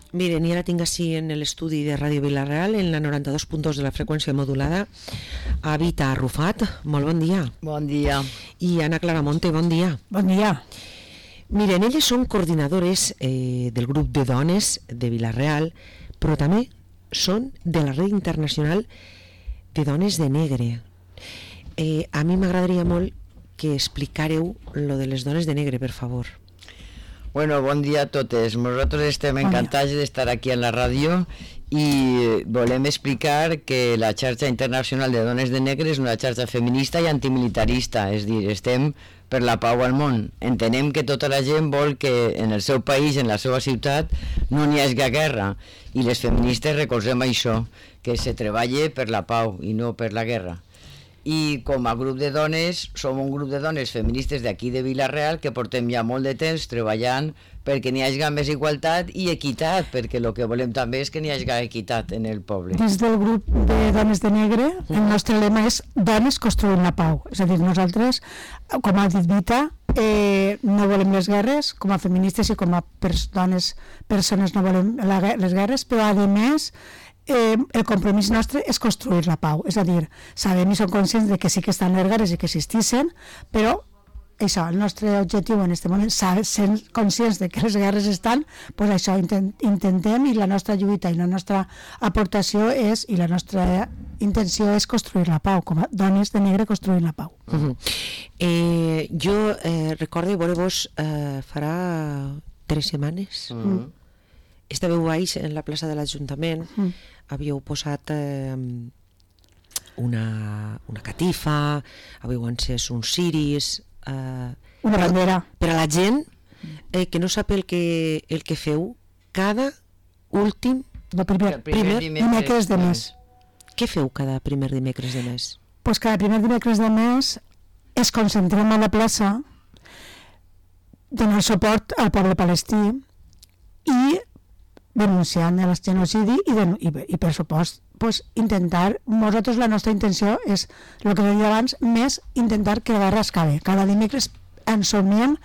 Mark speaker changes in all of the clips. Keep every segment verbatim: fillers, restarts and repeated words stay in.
Speaker 1: Miren, i ara tinc així en l'estudi de Ràdio Vila-real, en la noranta-dos punt dos de la freqüència modulada, a Vita Arrufat. Molt bon dia.
Speaker 2: Bon dia.
Speaker 1: I Ana Claramonte, bon dia.
Speaker 3: Bon dia.
Speaker 1: Miren, elles són coordinadores eh, del grup de dones de Vila-real, però també són de la Red Internacional de Dones de Negre. Eh, a mi m'agradaria molt que explicareu lo de les dones de negre, per favor.
Speaker 2: Bueno, bon dia a totes. Nosaltres estem encantats d'estar aquí en la ràdio i volem explicar que la xarxa internacional de dones de negre és una xarxa feminista i antimilitarista, és a dir, estem per la pau al món. Entenem que tota la gent vol que en el seu país, en la seva ciutat, no n'hi hagi guerra, i les feministes recolzem això, que se treballe per la pau i no per la guerra. I com a grup de dones, som un grup de dones feministes d'aquí de Vila-real que portem ja molt de temps treballant perquè n'hi hagi més igualtat i equitat, perquè el que volem també és que n'hi hagi equitat en el poble.
Speaker 3: Des del grup de Dones de Negre, el nostre lema és Dones construint la pau. És a dir, nosaltres, com ha dit Vita, eh, no volem les guerres, com a feministes i com a pers dones, persones no volem la, les guerres, però a més Eh, el compromís nostre és construir la pau, és a dir, sabem i som conscients de que sí que estan les guerres i que existissin, però això, el nostre objectiu en aquest moment, sent conscients de que les guerres estan, doncs això intent, intentem, i la nostra lluita i la nostra aportació és, i la nostra intenció és construir la pau, com a dones de negre construint la pau.
Speaker 1: Uh-huh. eh, jo eh, recordo veure-vos eh, farà tres setmanes. Uh-huh. Estàveu baix en la plaça de l'Ajuntament, uh-huh. havíeu posat eh, una, una catifa, havíeu encès uns ciris, eh,
Speaker 3: una bandera
Speaker 1: per a la gent eh, que no sap el que, el que feu cada últim
Speaker 3: no, primer, primer, primer dimecres de mes.
Speaker 1: Què feu cada primer dimecres de mes?
Speaker 3: Pues cada primer dimecres de mes es concentrem a la plaça donant suport al poble palestí i denunciant el genocidi i, de, i, i per supost pues, intentar, nosaltres la nostra intenció és, el que deia abans, més intentar que la guerra acabi. Cada dimecres ens somiem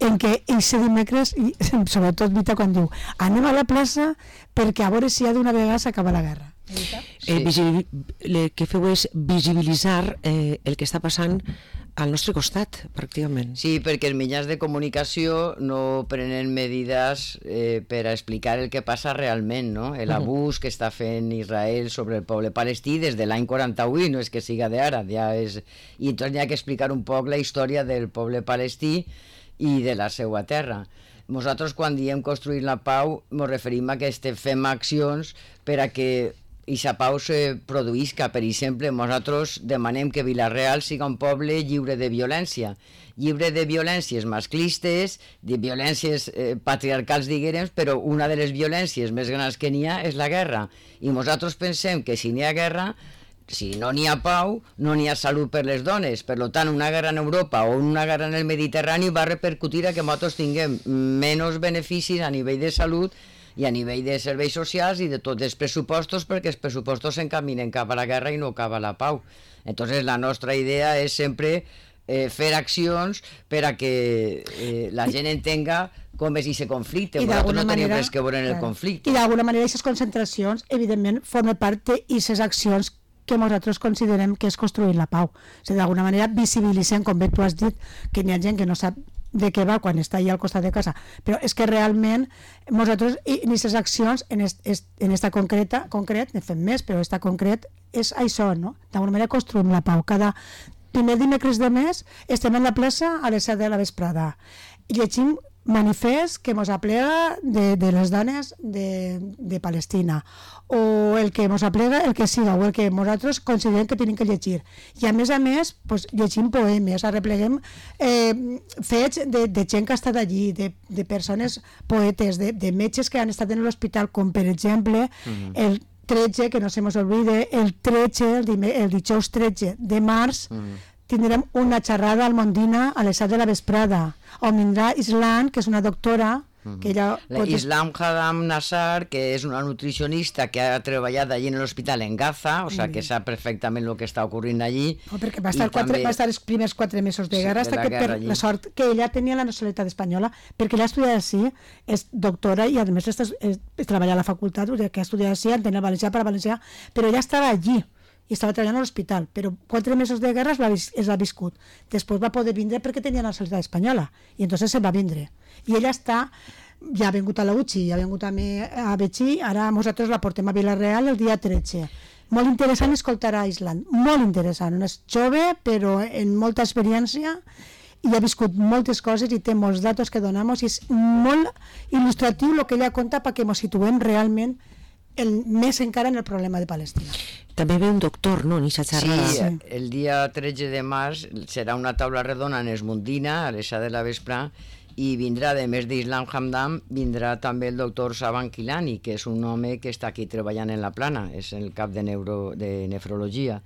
Speaker 3: en que aquest dimecres, i sobretot Vita quan diu anem a la plaça perquè a veure si ja d'una vegada s'acaba la guerra.
Speaker 1: Eh, visibil, el que feu és visibilitzar eh, el que està passant al nostre costat, pràcticament.
Speaker 2: Sí, perquè els mitjans de comunicació no prenen medides eh, per a explicar el que passa realment, no? L'abús que està fent Israel sobre el poble palestí des de l'any quaranta-vuit, no és que siga d'ara, ja és... i entonces hi ha que explicar un poc la història del poble palestí i de la seva terra. Nosaltres quan diem construir la pau ens referim a que fem accions per a que i la pau se produïsca. Per exemple, nosaltres demanem que Vila-real siga un poble lliure de violència, lliure de violències masclistes, de violències eh, patriarcals, diguem, però una de les violències més grans que n'hi ha és la guerra. I nosaltres pensem que si n'hi ha guerra, si no n'hi ha pau, no n'hi ha salut per les dones. Per tant, una guerra en Europa o una guerra en el Mediterrani va repercutir a que nosaltres tinguem menys beneficis a nivell de salut i a nivell de serveis socials i de tots els pressupostos, perquè els pressupostos s'encaminen cap a la guerra i no cap a la pau. Entonces la nostra idea és sempre eh, fer accions per a que eh, la gent entenga com és aquest conflicte. Nosaltres no tenim res que veure en el conflicte.
Speaker 3: I d'alguna manera aquestes concentracions evidentment formen part d'aquestes accions que nosaltres considerem que és construir la pau. O sigui, d'alguna manera visibilitzem, com bé tu has dit, que hi ha gent que no sap de què va quan està allà al costat de casa, però és que realment nosaltres en aquestes accions en, est, en esta concreta, concret, ne fem més, però esta concret és això, no? D'alguna manera construïm la pau. Cada primer dimecres de mes estem en la plaça a les set de la vesprada i llegim manifest que mos aplega de, de les dones de, de Palestina, o el que mos aplega el que siga, o el que nosaltres considerem que tenim que llegir. I a més a més pues, llegim poemes, arrepleguem eh, fets de, de gent que ha estat allí, de, de persones poetes, de, de metges que han estat en l'hospital, com per exemple mm-hmm. el tretze, que no se mos olvide, el tretze, el, el dijous tretze de març, mm-hmm. tindrem una xerrada al Mondina a les set de la vesprada, on vindrà Islan, que és una doctora
Speaker 2: Uh-huh.
Speaker 3: Que ella pot...
Speaker 2: Islam Hadam Nassar, que és una nutricionista que ha treballat allí en l'hospital en Gaza, o sea, que sap perfectament el que està ocorrint allí.
Speaker 3: No, perquè va estar, quatre, també... va estar els primers quatre mesos de guerra, sí, hasta que per allí. La sort que ella tenia la nacionalitat espanyola, perquè ella ha estudiat així, és doctora i a més està, és, és, treballa a la facultat, que ha estudiat així, entén el valencià per a valencià, però ella estava allí i estava treballant a l'hospital, però quatre mesos de guerra es va, es va viscut. Després va poder vindre perquè tenia la nacionalitat espanyola, i entonces se va vindre. I ella està, ja ha vingut a la U C I, ja ha vingut a, a Betxí, ara nosaltres la portem a Vila-real el dia tretze. Molt interessant escoltar a Island, molt interessant. És jove, però en molta experiència, i ha viscut moltes coses i té molts datos que donem, i és molt il·lustratiu el que ella conta perquè ens situem realment el, més encara en el problema de Palestina.
Speaker 1: També ve un doctor, no?, en aquesta xerrada.
Speaker 2: Sí, el dia tretze de març serà una taula redona en Esmundina, a les set de la vesprà, i vindrà, a més d'Islam Hamdam, vindrà també el doctor Saban Kilani, que és un home que està aquí treballant en la plana, és el cap de, neuro, de nefrologia.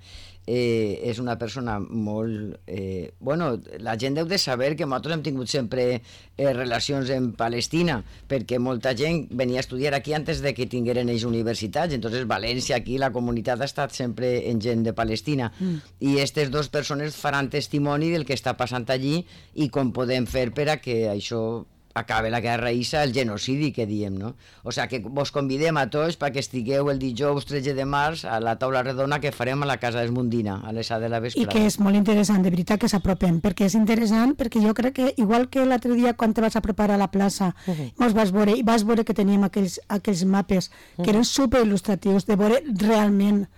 Speaker 2: Eh, és una persona molt... Eh, bueno, la gent deu de saber que nosaltres hem tingut sempre eh, relacions en Palestina, perquè molta gent venia a estudiar aquí antes de que tingueren ells universitats, entonces València, aquí, la comunitat ha estat sempre en gent de Palestina, mm. i aquestes dues persones faran testimoni del que està passant allí i com podem fer per a que això acabe la guerra issa, el genocidi que diem, no? O sea, que vos convidem a tots perquè estigueu el dijous tretze de març a la taula redona que farem a la Casa Esmundina, a les set de la vesprada.
Speaker 3: I que és molt interessant, de veritat, que s'apropem, perquè és interessant, perquè jo crec que, igual que l'altre dia quan te vas a preparar a la plaça, uh -huh. mos vas veure, i vas veure que teníem aquells, aquells mapes, uh -huh. que eren superil·lustratius, de veure realment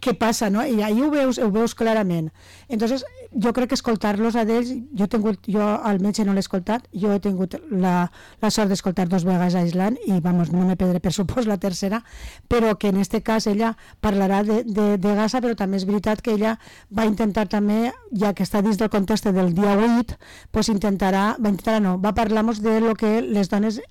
Speaker 3: què passa, no? I ahí ho veus, ho veus clarament. Entonces, jo crec que escoltar-los a ells, jo he tingut, jo al metge no l'he escoltat, jo he tingut la, la sort d'escoltar dos vegades a Island i, vamos, no me perdré per supòs la tercera, però que en este cas ella parlarà de, de, de Gaza, però també és veritat que ella va intentar també, ja que està dins del context del dia vuit, pues intentarà, va intentar no, va parlar-nos de lo que les dones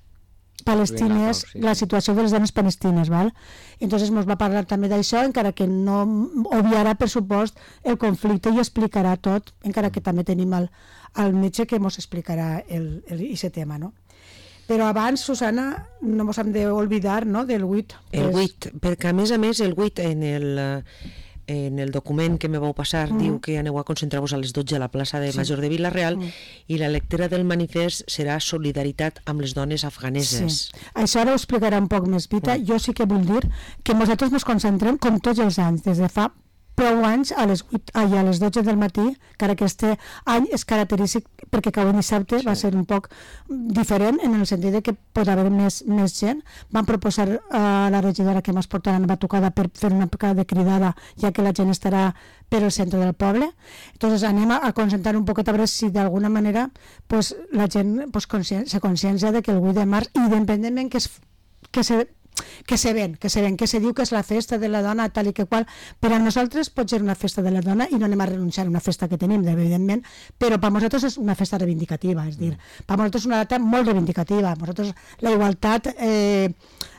Speaker 3: palestines, sí, la situació de les dones palestines, val? Entonces ens va parlar també d'això, encara que no obviarà, per supost, el conflicte i explicarà tot, encara que també tenim el, el metge que ens explicarà el, el, aquest tema, no? Però abans, Susana, no ens hem d'oblidar, no?, del vuit.
Speaker 1: El vuit, perquè a més a més el vuit en el... en el document que me vau passar mm. diu que aneu a concentrar-vos a les dotze a la plaça de sí. Major de Vila-real mm. i la lectura del manifest serà solidaritat amb les dones afganeses.
Speaker 3: Sí. Això ara ho explicarà un poc més, Vita. Mm. Jo sí que vull dir que nosaltres ens concentrem, com tots els anys, des de fa prou anys, a les, vuit, ai, a les dotze del matí, que ara aquest any és característic perquè cau en dissabte, sí. va ser un poc diferent en el sentit de que pot haver més, més gent. Van proposar a la regidora que ens portaran una batucada per fer una mica de cridada, ja que la gent estarà per al centre del poble. Entonces anem a, a concentrar un poquet a veure si d'alguna manera pues, la gent pues, conscien, se consciencia de que el vuit de març, independentment que, es, que se que se ven, que se ven, que se diu que és la festa de la dona tal i que qual, per a nosaltres pot ser una festa de la dona i no anem a renunciar a una festa que tenim, evidentment, però per a nosaltres és una festa reivindicativa, és dir, per a nosaltres és una data molt reivindicativa, per a nosaltres la igualtat eh,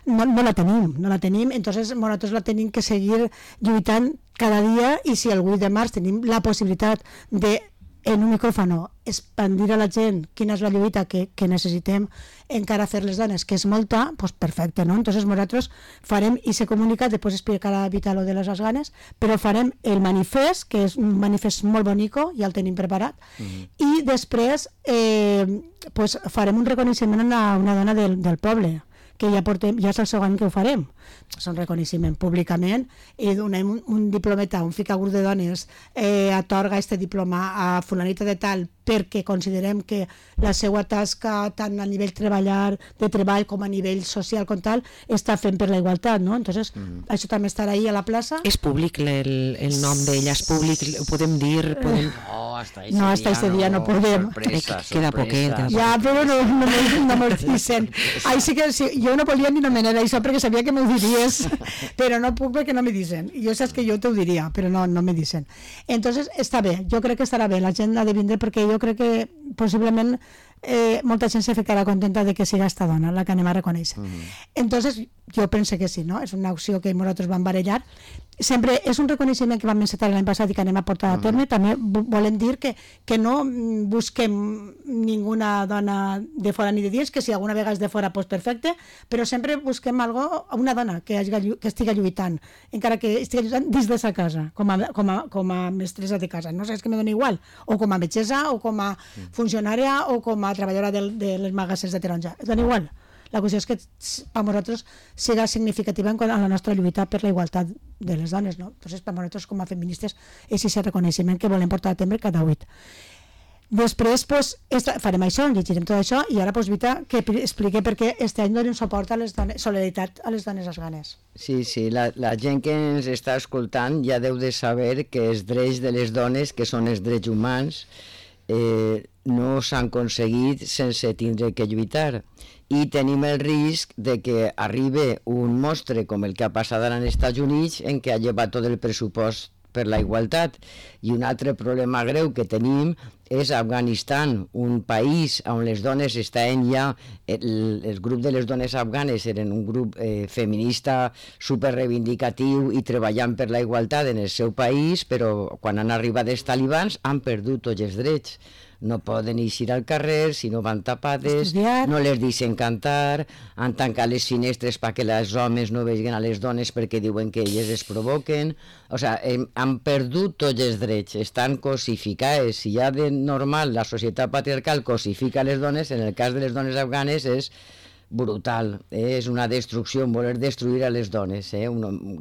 Speaker 3: no, no la tenim, no la tenim, entonces nosaltres la tenim que seguir lluitant cada dia i si el vuit de març tenim la possibilitat de en un micròfono expandir a la gent quina és la lluita que, que necessitem encara fer les dones, que és molta, doncs perfecte, no? Entonces nosaltres farem i se comunica, després explicarà Vita lo de les ganes, però farem el manifest, que és un manifest molt bonico, ja el tenim preparat, mm-hmm. i després eh, pues farem un reconeixement a una dona del, del poble, que ja, portem, ja és el segon que ho farem. És un reconeixement públicament i donem un, un diplometa, un ficagur de dones eh, atorga este diploma a fulanita de tal perquè considerem que la seva tasca tant a nivell treballar, de treball com a nivell social com tal, està fent per la igualtat, no? Entonces, mm. això també estarà ahí a la plaça.
Speaker 1: És públic el, el nom d'ella, és públic, ho podem dir? Podem...
Speaker 2: No, hasta ese
Speaker 3: no, hasta ese día no, no podem.
Speaker 2: Sorpresa,
Speaker 1: eh, queda poquet.
Speaker 3: Ja, però no, no, no, no me'l dicen. Ahí sí que sí, jo no volia ni nomenar això perquè sabia que m'ho diries, però no puc perquè no me dicen. Jo saps que jo t'ho diria, però no, no me dicen. Entonces, està bé, jo crec que estarà bé, la gent ha de vindre perquè jo crec que possiblement eh, molta gent se ficarà contenta de que siga esta dona la que anem a reconèixer. Mm-hmm. Entonces, jo penso que sí, no? És una opció que nosaltres vam barallar sempre és un reconeixement que vam encetar l'any passat i que anem a portar a terme. També volem dir que, que no busquem ninguna dona de fora ni de dins, que si alguna vegada és de fora, doncs perfecte, però sempre busquem algo, una dona que, hagi, que estigui lluitant, encara que estigui lluitant dins de sa casa, com a, com a, com a mestressa de casa. No sé, és que me dona igual, o com a metgessa, o com a funcionària, o com a treballadora de, de les magassers de taronja. És dona igual. La qüestió és que per nosaltres siga significativa en la nostra lluita per la igualtat de les dones, no? Entonces, per nosaltres com a feministes és aquest reconeixement que volem portar a terme cada huit. Després, pues, esta, farem això, llegirem tot això, i ara, pues, Vita, que expliqui per què este any donem suport a les dones, solidaritat a les dones afganes.
Speaker 2: Sí, sí, la, la gent que ens està escoltant ja deu de saber que els drets de les dones, que són els drets humans, eh, no s'han aconseguit sense tindre que lluitar. I tenim el risc de que arribi un monstre com el que ha passat ara als Estats Units, en què ha llevat tot el pressupost per la igualtat. I un altre problema greu que tenim és Afganistan, un país on les dones estaven ja, el, el grup de les dones afganes eren un grup eh, feminista superreivindicatiu i treballant per la igualtat en el seu país, però quan han arribat els talibans han perdut tots els drets. No poden eixir al carrer si no van tapades, estudiar. No les deixen cantar, han tancat les finestres perquè els homes no vegin a les dones perquè diuen que elles es provoquen. O sigui, han perdut tots els drets, estan cosificades. Si ja de normal la societat patriarcal cosifica les dones, en el cas de les dones afganes és brutal, eh? És una destrucció, voler destruir a les dones, eh?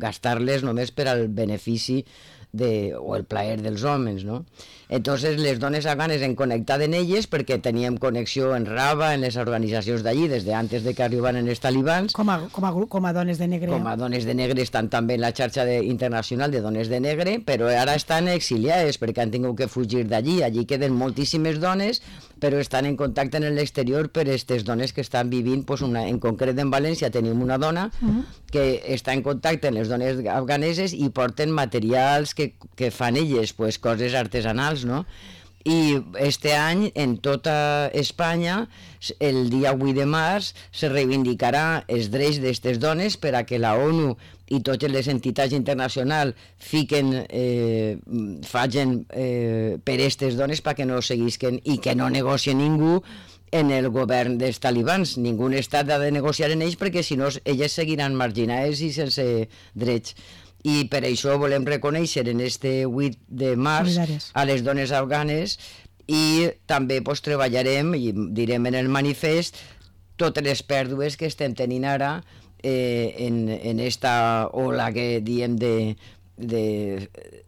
Speaker 2: gastar-les només per al benefici de, o el plaer dels homes, no? Entonces les dones afganes han connectat en elles perquè teníem connexió en Rava, en les organitzacions d'allí, des de antes de que arribaren els talibans.
Speaker 3: Com a, com a, com a dones de negre.
Speaker 2: Com a dones de negre estan també en la xarxa de, internacional de dones de negre, però ara estan exiliades perquè han tingut que fugir d'allí. Allí queden moltíssimes dones, però estan en contacte en l'exterior per aquestes dones que estan vivint, pues una, en concret en València tenim una dona uh-huh. que està en contacte amb les dones afganeses i porten materials que, que fan elles, pues, coses artesanals, no? I este any en tota Espanya el dia vuit de març se reivindicarà els drets d'aquestes dones per a que la ONU i totes les entitats internacionals fiquen, eh, facin eh, per aquestes dones perquè no seguisquen i que no negocien ningú en el govern dels talibans. Ningú estat ha de negociar en ells perquè si no elles seguiran marginades i sense drets. I per això volem reconèixer en este vuit de març a les dones afganes i també pues, treballarem i direm en el manifest totes les pèrdues que estem tenint ara eh, en, en esta ola que diem de, de,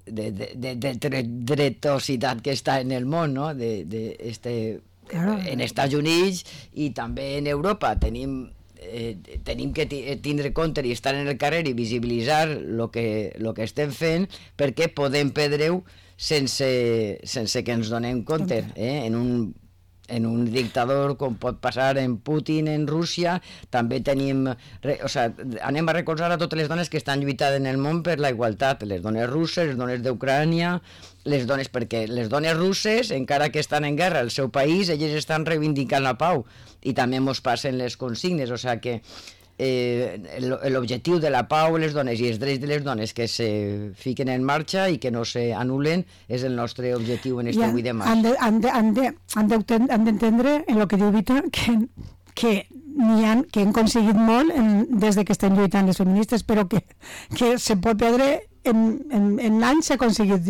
Speaker 2: de, de, de, de dretositat que està en el món, no? de, de este, claro. En Estats Units i també en Europa tenim Eh, tenim que tindre compte i estar en el carrer i visibilitzar el que, lo que estem fent perquè podem perdre-ho sense, sense que ens donem compte eh? en, un, en un dictador com pot passar en Putin en Rússia. També tenim o sigui, anem a recolzar a totes les dones que estan lluitant en el món per la igualtat, les dones russes, les dones d'Ucrània, les dones, perquè les dones russes, encara que estan en guerra al seu país, elles estan reivindicant la pau i també ens passen les consignes, o sigui que eh, l'objectiu de la pau, les dones i els drets de les dones que se fiquen en marxa i que no s'anulen és el nostre objectiu en este vuit de març.
Speaker 3: Han d'entendre en el que diu Vita que, que n'hi ha que han aconseguit molt en, des de que estem lluitant les feministes, però que, que se pot perdre en, en, en anys s'ha aconseguit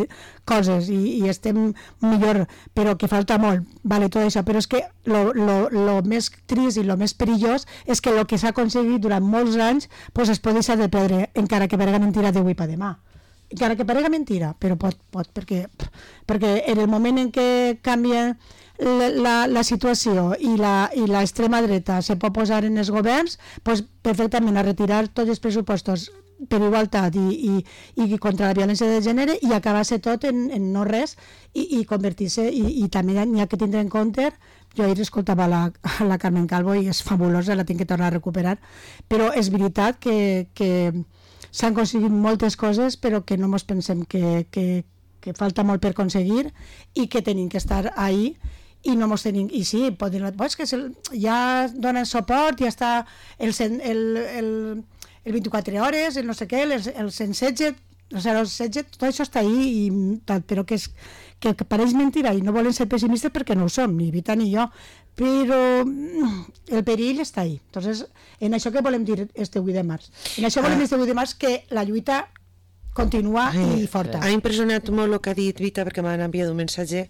Speaker 3: coses i, i estem millor, però que falta molt, vale, tot això, però és que lo, lo, lo més trist i lo més perillós és que el que s'ha aconseguit durant molts anys pues es pot deixar de perdre, encara que parega mentira d'avui per demà. Encara que parega mentira, però pot, pot perquè, perquè en el moment en què canvia la, la, la situació i l'extrema dreta se pot posar en els governs, pues perfectament a retirar tots els pressupostos per igualtat i, i, i contra la violència de gènere i acabar-se tot en, en no res i, i convertir-se, i, i també n'hi ha que tindre en compte. Jo ahir escoltava la, la Carmen Calvo i és fabulosa, la tinc que tornar a recuperar, però és veritat que, que s'han aconseguit moltes coses però que no ens pensem que, que, que falta molt per aconseguir i que tenim que estar ahí i no mos tenim, i sí, poden, pues que se, ja donen suport, ja està el, el, el, el vint-i-quatre hores, el no sé què, el, el cent setze, o sigui, el setge, tot això està ahí, i tal, però que, és, que, que pareix mentira i no volen ser pessimistes perquè no ho som, ni Vita ni jo, però el perill està ahí. Entonces, en això que volem dir este vuit de març? En això volem dir este vuit de març que la lluita continua i forta.
Speaker 1: Ha impressionat molt el que ha dit Vita, perquè m'han enviat un missatge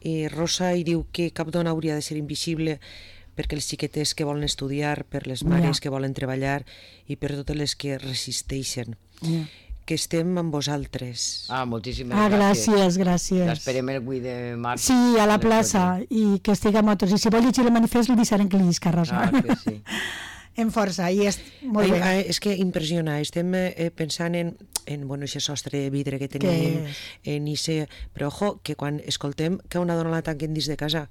Speaker 1: i Rosa i diu que cap dona hauria de ser invisible perquè els xiquetes que volen estudiar, per les mares que volen treballar i per totes les que resisteixen. Que estem amb vosaltres.
Speaker 2: Ah, moltíssimes
Speaker 3: ah,
Speaker 2: gràcies.
Speaker 3: gràcies. gràcies.
Speaker 2: L'esperem el vuit de març.
Speaker 3: Sí, a la plaça, i que estigui amb nosaltres. I si vol llegir el manifest, li deixarem que li llisca, Rosa.
Speaker 2: Ah, que sí.
Speaker 3: En força, i és molt bé.
Speaker 1: Ai, és que impressiona, estem eh, pensant en, en bueno, aquest sostre de vidre que tenim, que... en ise... però ojo, que quan escoltem que una dona la tanquen dins de casa.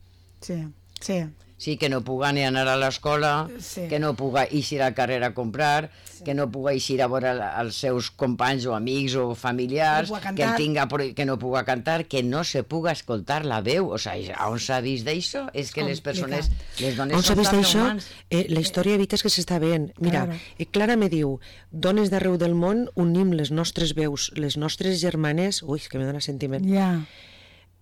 Speaker 3: Sí, sí.
Speaker 2: Sí, que no puga ni anar a l'escola, sí. que no puga eixir al carrer a comprar, sí. que no puga eixir a veure els seus companys o amics o familiars,
Speaker 3: no
Speaker 2: que, el tinga, que no puga cantar, que no se puga escoltar la veu. O sigui, on s'ha vist d'això? És que les persones, les dones
Speaker 1: on
Speaker 2: són tan humans.
Speaker 1: Eh, la història evita és que s'està veient. Mira, claro. eh, Clara me diu, dones d'arreu del món unim les nostres veus, les nostres germanes, ui, que me dona sentiment.
Speaker 3: Ja. Yeah.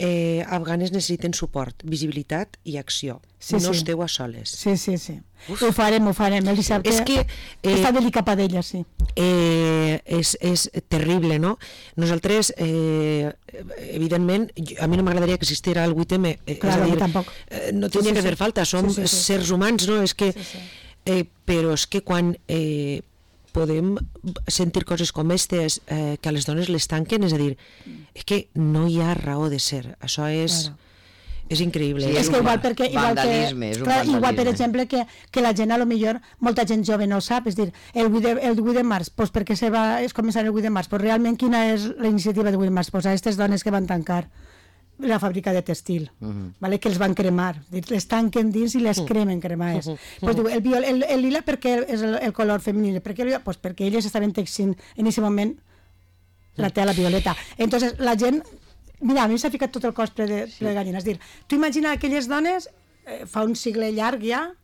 Speaker 1: Eh, afganes necessiten suport, visibilitat i acció. Sí, no sí. esteu a soles.
Speaker 3: Sí, sí, sí. Uf. Ho farem, ho farem. El dissabte
Speaker 1: és que, eh,
Speaker 3: està delicat per ella, sí.
Speaker 1: Eh, és, és terrible, no? Nosaltres, eh, evidentment, a mi no m'agradaria que existira el vuit eme. Eh,
Speaker 3: claro,
Speaker 1: és a dir,
Speaker 3: tampoc.
Speaker 1: Eh, no tenia sí, sí, que fer sí. falta, som sí, sí, sí. sers humans, no? És que, sí, sí. Eh, però és que quan... Eh, podem sentir coses com aquestes eh, que a les dones les tanquen, és a dir, és que no hi ha raó de ser, això és claro. és increïble.
Speaker 3: Sí,
Speaker 1: és,
Speaker 3: és que igual perquè igual
Speaker 2: vandalisme,
Speaker 3: que,
Speaker 2: és un
Speaker 3: clar,
Speaker 2: vandalisme.
Speaker 3: Igual per exemple que, que la gent a lo millor molta gent jove no sap, és dir, el vuit de, el vuit de març, pues perquè se va és començar el vuit de març, pues realment quina és la iniciativa del vuit de març? Pues a aquestes dones que van tancar la fàbrica de textil, uh -huh. vale? Que els van cremar, les tanquen dins i les cremen cremades. Uh -huh. Pues diu, el, viol, el, el lila perquè és el, el color femení, perquè, el, pues perquè elles estaven teixint en aquest moment la tela violeta. Entonces la gent, mira, a mi s'ha ficat tot el cos ple de, ple de gallina, és dir, tu imagina aquelles dones eh, fa un segle llarg ja,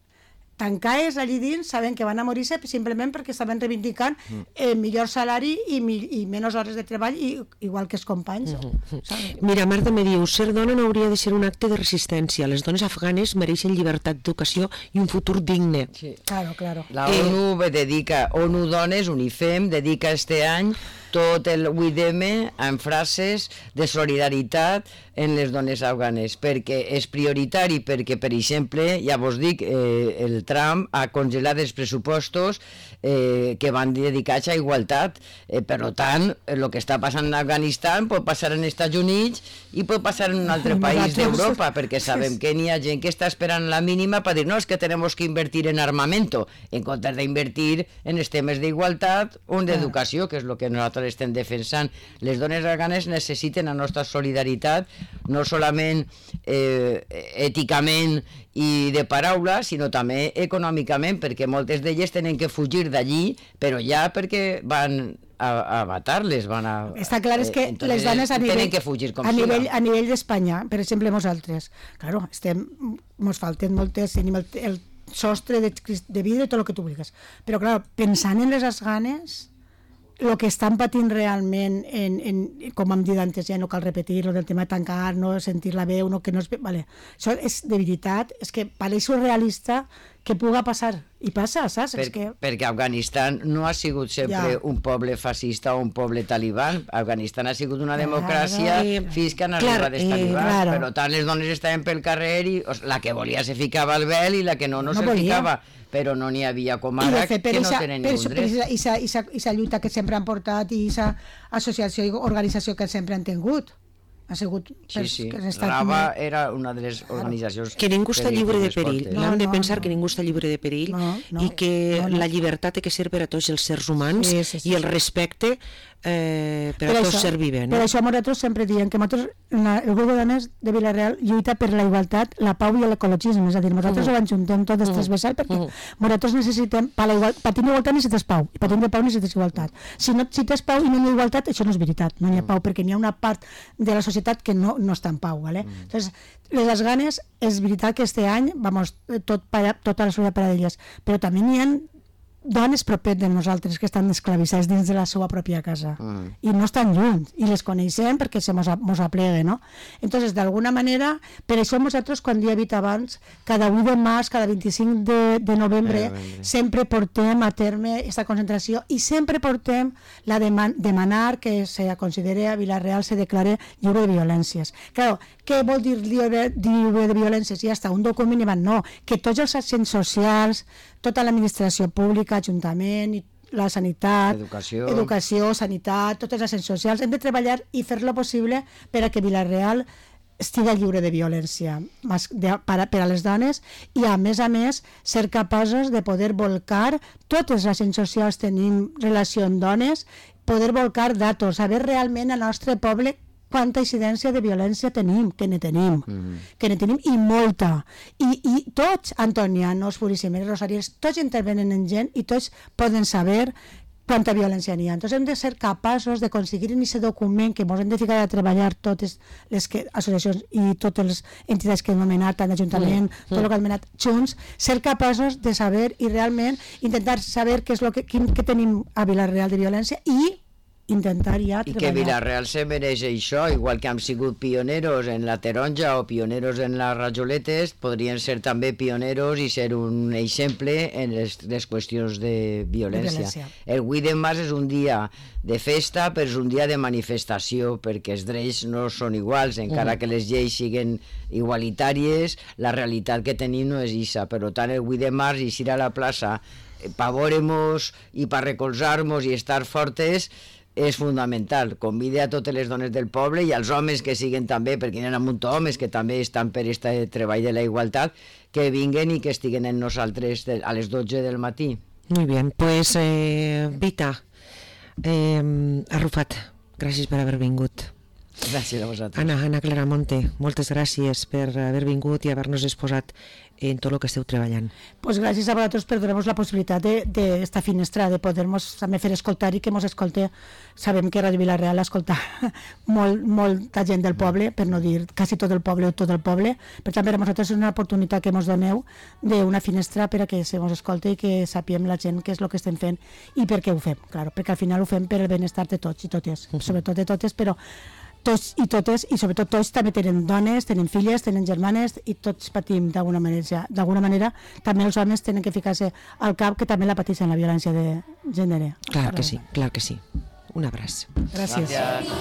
Speaker 3: tancades allí dins, saben que van a morir-se simplement perquè estaven reivindicant eh, millor salari i, i menys hores de treball, i, igual que els companys. Uh
Speaker 1: -huh. Mira, Marta me diu, ser dona no hauria de ser un acte de resistència. Les dones afganes mereixen llibertat d'educació i un futur digne.
Speaker 3: Sí. Claro, claro.
Speaker 2: La ONU eh, dedica, ONU Dones, UNIFEM, dedica este any tot el vuit de eme en frases de solidaritat en les dones afganes, perquè és prioritari, perquè, per exemple, ja vos dic, eh, el Trump ha congelat els pressupostos eh, que van dedicats a igualtat. Eh, per tant, el que està passant en Afganistan pot passar en Estats Units i pot passar en un altre país d'Europa, perquè sabem que n'hi ha gent que està esperant la mínima per dir, no, és que tenemos que invertir en armamento, en comptes d'invertir en els temes d'igualtat o en d'educació, que és el que nosaltres estem defensant. Les dones afganes necessiten la nostra solidaritat, no solament eh, èticament i de paraula, sinó també econòmicament, perquè moltes d'elles tenen que fugir d'allí, però ja perquè van a, a matar-les, van a...
Speaker 3: Està clar, és que
Speaker 2: eh,
Speaker 3: les dones a nivell,
Speaker 2: que fugir com
Speaker 3: a nivell, a nivell d'Espanya, per exemple, nosaltres, claro, estem, mos falten moltes, tenim el, el sostre de, de vidre, tot el que tu vulguis, però clar, pensant en les afganes, el que estan patint realment, en, en, com hem dit antes, ja no cal repetir, del tema de tancar, no sentir la veu, no, que no és... Vale. Això és de veritat, és que pareix surrealista que puga passar, i passa, saps?
Speaker 2: Per,
Speaker 3: és que...
Speaker 2: Perquè Afganistan no ha sigut sempre ja. un poble fascista o un poble talibán. Afganistan ha sigut una democràcia claro, fins que han arribat els talibans. Eh, claro. Per tant, les dones estaven pel carrer i la que volia se ficava al vel i la que no, no, no se volia. ficava. Però no n'hi havia com ara fet, que no isa, tenen ningú dret. I la lluita que sempre han portat i aquesta associació i organització que sempre han tingut. Ha sigut... Sí, sí. Rava era una de les organitzacions...
Speaker 1: Que ningú està lliure de perill. No, no hem de pensar no. que ningú està lliure de perill no, no, i que no, no. la llibertat té que ser per a tots els sers humans sí, sí, sí, i el respecte eh, per, per a tots ser vivent.
Speaker 3: Per això nosaltres sempre diem que nosaltres, el grup de dones de Vila-real lluita per la igualtat, la pau i l'ecologisme, és a dir, nosaltres uh -huh. ho enjuntem tot uh -huh. transversal perquè uh -huh. nosaltres necessitem, per, la igual, per tenir igualtat necessites pau, i per tenir pau necessites igualtat. Si no si tens pau i no hi ha igualtat, això no és veritat, no hi ha pau, perquè n'hi ha una part de la societat que no, no està en pau. ¿vale? Uh -huh. Entonces, les afganes, és veritat que este any, vamos, tot para, tota la societat per a elles, però també n'hi ha dones propet de nosaltres que estan esclavissades dins de la seva pròpia casa mm. i no estan lluny i les coneixem perquè se mos, mos aplega, no? Entonces, d'alguna manera, per això nosaltres, quan he dit abans, cada u de març, cada vint-i-cinc de, de novembre, eh, sempre portem a terme aquesta concentració i sempre portem la de demanar que se considere a Vila-real se declare lliure de violències. Clar, què vol dir lliure, lliure de violències? Ja està, un document i van, no, que tots els agents socials, tota l'administració pública, ajuntament, la sanitat,
Speaker 2: educació.
Speaker 3: educació, sanitat, tots els agents socials, hem de treballar i fer-lo possible per a que Vila-real estigui lliure de violència per a les dones i, a més a més, ser capaços de poder volcar, tots els agents socials tenim relació amb dones, poder volcar datos, saber realment al nostre poble quanta incidència de violència tenim, que ne tenim, mm-hmm. que ne tenim i molta. I, i tots, antonianos, purissimeres, rosariers, tots intervenen en gent i tots poden saber quanta violència n'hi ha. Entonces hem de ser capaços de conseguir en aquest document que ens hem de ficar a treballar totes les que, associacions i totes les entitats que hem anomenat, tant l'Ajuntament, mm. tot el que hem anomenat junts, ser capaços de saber i realment intentar saber què és lo que, quin, que tenim a Vila-real de violència i intentar ja treballar.
Speaker 2: I que Vila-real se mereix això, igual que hem sigut pioneros en la taronja o pioneros en les rajoletes, podrien ser també pioneros i ser un exemple en les, les qüestions de violència. de violència. El vuit de març és un dia de festa, però és un dia de manifestació, perquè els drets no són iguals, encara mm. que les lleis siguin igualitàries, la realitat que tenim no és issa. Per tant, el vuit de març, eixir a la plaça, pa veure-mos i pa recolzar-nos i estar fortes, és fundamental. Convide a totes les dones del poble i als homes que siguen també, perquè hi ha un munt d'homes que també estan per aquest treball de la igualtat, que vinguen i que estiguen en nosaltres a les dotze del matí.
Speaker 1: Muy bien, pues eh, Vita, eh, Arrufat, gràcies per haver vingut.
Speaker 2: Gràcies a vosaltres.
Speaker 1: Anna, Anna Claramonte, moltes gràcies per haver vingut i haver-nos exposat en tot el que esteu treballant.
Speaker 3: Pues gràcies a vosaltres per donar-nos la possibilitat d'esta finestra, de poder-nos també fer escoltar i que ens escolte. Sabem que Ràdio Vila-real escolta molt, molta gent del poble, per no dir quasi tot el poble o tot el poble. Per tant, per a nosaltres és una oportunitat que ens doneu d'una finestra per a que se ens escolte i que sapiem la gent què és el que estem fent i per què ho fem, clar, perquè al final ho fem per el benestar de tots i totes, sobretot de totes, però tots i totes, i sobretot tots també tenen dones, tenen filles, tenen germanes i tots patim d'alguna manera. D'alguna manera també els homes tenen que ficar-se al cap que també la pateixen la violència de gènere.
Speaker 1: Clar que sí, clar que sí. Un abraç.
Speaker 3: Gràcies.
Speaker 2: Gràcies.